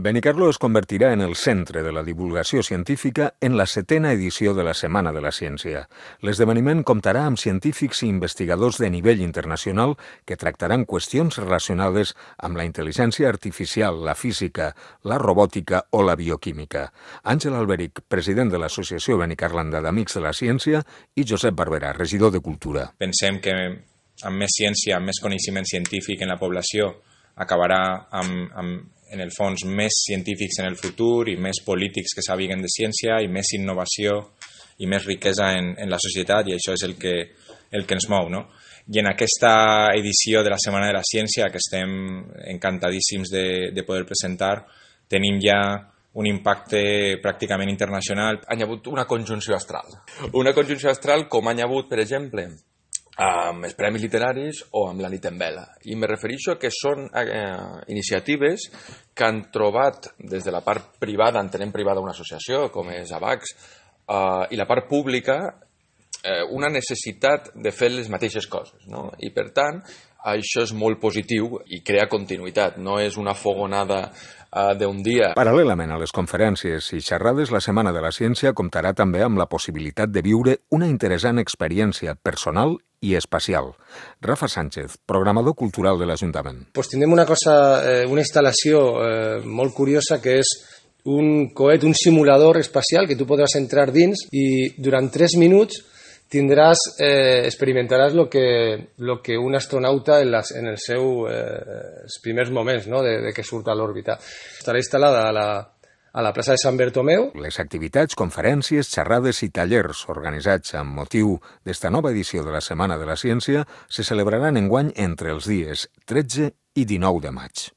Benicarló es convertirà en el centre de la divulgació científica en la 7ª edició de la Setmana de la Ciència. L'esdeveniment comptarà amb científics i investigadors de nivell internacional que tractaran qüestions relacionades amb la intel·ligència artificial, la física, la robòtica o la bioquímica. Àngel Alberic, president de l'Associació Benicarlanda d'Amics de la Ciència, i Josep Barberà, regidor de Cultura. Pensem que amb més ciència, amb més coneixement científic en la població, acabarà amb en el fons, més científics en el futur i més polítics que sàpiguen de ciència i més innovació i més riquesa en la societat, i això és el que ens mou, no? I en aquesta edició de la Setmana de la Ciència, que estem encantadíssims de poder presentar, tenim ja un impacte pràcticament internacional. Hi ha hagut una conjunció astral. Una conjunció astral com hi ha hagut, per exemple, amb els premis literaris o amb la nit en vela. I me refereixo que són iniciatives que han trobat des de la part privada, entenem privada una associació com és AVAX, i la part pública una necessitat de fer les mateixes coses, no? I per tant, això és molt positiu i crea continuïtat, no és una fogonada d'un dia. Paral·lelament a les conferències i xerrades, la Setmana de la Ciència comptarà també amb la possibilitat de viure una interessant experiència personal i espacial. Rafa Sánchez, programador cultural de l'Ajuntament. Pues tindrem una instal·lació molt curiosa que és un coet, un simulador espacial que tu podràs entrar dins i durant 3 minuts experimentaràs lo que un astronauta en els seus primers moments, no? de que surt a l'òrbita. Estarà instal·lada a la plaça de Sant Bertomeu. Les activitats, conferències, xerrades i tallers organitzats amb motiu d'esta nova edició de la Setmana de la Ciència se celebraran enguany entre els dies 13 i 19 de maig.